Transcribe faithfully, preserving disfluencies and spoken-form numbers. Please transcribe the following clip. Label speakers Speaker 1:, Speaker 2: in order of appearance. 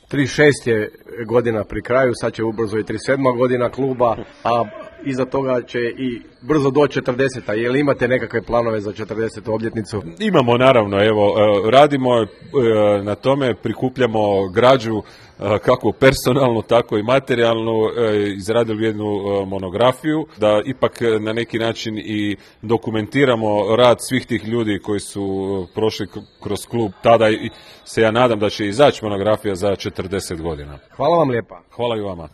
Speaker 1: trideset šest je godina pri kraju, sad će ubrzo i trideset sedma godina kluba, a iza toga će i brzo doći četrdeseta. Je li imate nekakve planove za četrdesetu obljetnicu?
Speaker 2: Imamo, naravno, evo, radimo na tome, prikupljamo građu kako personalnu, tako i materijalnu, izradili jednu monografiju, da ipak na neki način i dokumentiramo rad svih tih ljudi koji su prošli kroz klub. Tada se ja nadam da će izaći monografija za četrdeset godina.
Speaker 1: Hvala vam lijepa.
Speaker 2: Hvala i vama.